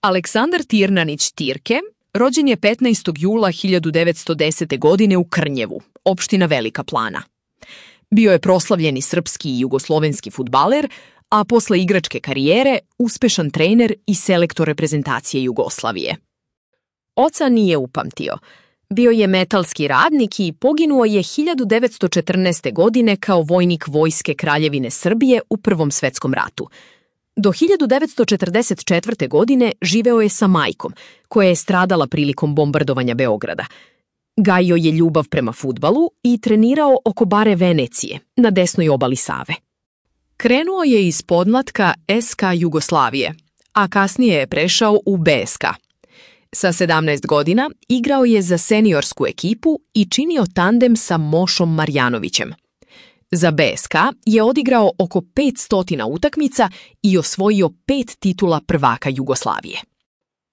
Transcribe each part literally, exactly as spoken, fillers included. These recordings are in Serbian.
Aleksandar Tirnanić Tirke rođen je petnaestog jula hiljadu devetsto desete. godine u Krnjevu, opština Velika Plana. Bio je proslavljeni srpski i jugoslovenski fudbaler, a posle igračke karijere uspešan trener i selektor reprezentacije Jugoslavije. Oca nije upamtio. Bio je metalski radnik i poginuo je hiljadu devetsto četrnaeste. godine kao vojnik Vojske Kraljevine Srbije u Prvom svetskom ratu. Do hiljadu devetsto četrdeset četvrte. godine živeo je sa majkom, koja je stradala prilikom bombardovanja Beograda. Gajio je ljubav prema fudbalu i trenirao oko bare Venecije, na desnoj obali Save. Krenuo je iz podmlatka S K Jugoslavije, a kasnije je prešao u B S K. Sa sedamnaest godina igrao je za seniorsku ekipu i činio tandem sa Mošom Marjanovićem. Za B S K je odigrao oko petsto utakmica i osvojio pet titula prvaka Jugoslavije.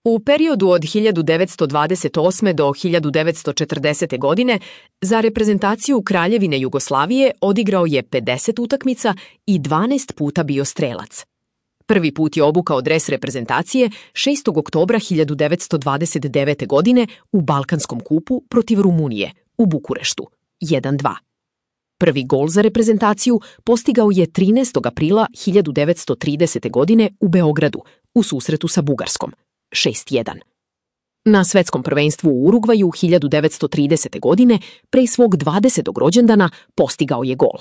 U periodu od hiljadu devetsto dvadeset osme. do hiljadu devetsto četrdesete. godine za reprezentaciju Kraljevine Jugoslavije odigrao je pedeset utakmica i dvanaest puta bio strelac. Prvi put je obukao dres reprezentacije šestog oktobra hiljadu devetsto dvadeset devete. godine u Balkanskom kupu protiv Rumunije u Bukureštu jedan dva. Prvi gol za reprezentaciju postigao je trinaestog aprila hiljadu devetsto tridesete. godine u Beogradu u susretu sa Bugarskom šest jedan. Na svetskom prvenstvu u Urugvaju hiljadu devetsto tridesete. godine pre svog dvadesetog rođendana postigao je gol.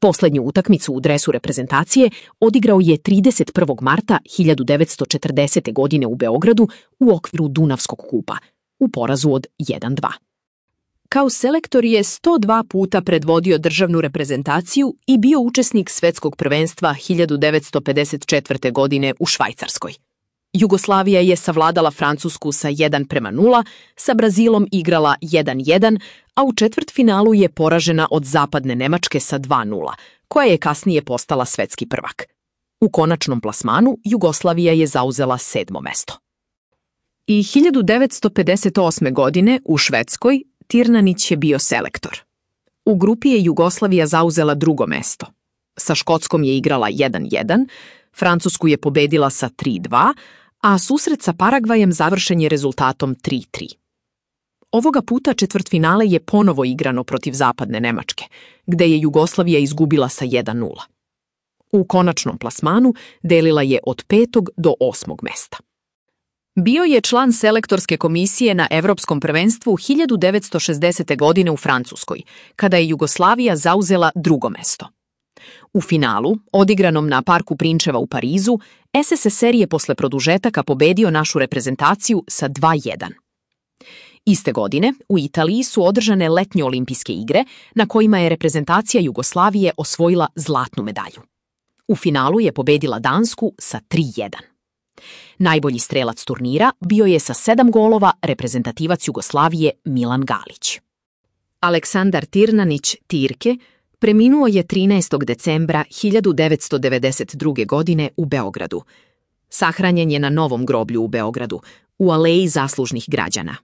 Poslednju utakmicu u dresu reprezentacije odigrao je trideset prvog marta hiljadu devetsto četrdesete. godine u Beogradu u okviru Dunavskog kupa u porazu od jedan dva. Kao selektor je sto dva puta predvodio državnu reprezentaciju i bio učesnik svetskog prvenstva hiljadu devetsto pedeset četvrte. godine u Švajcarskoj. Jugoslavija je savladala Francusku sa jedan prema nula, sa Brazilom igrala jedan jedan, a u četvrtfinalu je poražena od Zapadne Nemačke sa dva nula, koja je kasnije postala svetski prvak. U konačnom plasmanu Jugoslavija je zauzela sedmo mesto. I hiljadu devetsto pedeset osme. godine u Švedskoj Tirnanić je bio selektor. U grupi je Jugoslavija zauzela drugo mesto. Sa Škotskom je igrala jedan jedan, Francusku je pobedila sa tri dva, a susret sa Paragvajem završen je rezultatom tri tri. Ovoga puta četvrtfinale je ponovo igrano protiv Zapadne Nemačke, gde je Jugoslavija izgubila sa jedan nula. U konačnom plasmanu delila je od petog do osmog mesta. Bio je član selektorske komisije na Evropskom prvenstvu hiljadu devetsto šezdesete. godine u Francuskoj, kada je Jugoslavija zauzela drugo mesto. U finalu, odigranom na Parku Prinčeva u Parizu, S S S R je posle produžetaka pobedio našu reprezentaciju sa dva jedan. Iste godine, u Italiji su održane letnje olimpijske igre, na kojima je reprezentacija Jugoslavije osvojila zlatnu medalju. U finalu je pobedila Dansku sa tri jedan. Najbolji strelac turnira bio je sa sedam golova reprezentativac Jugoslavije Milan Galić. Aleksandar Tirnanić Tirke preminuo je trinaestog decembra hiljadu devetsto devedeset druge. godine u Beogradu. Sahranjen je na Novom groblju u Beogradu, u Aleji zaslužnih građana.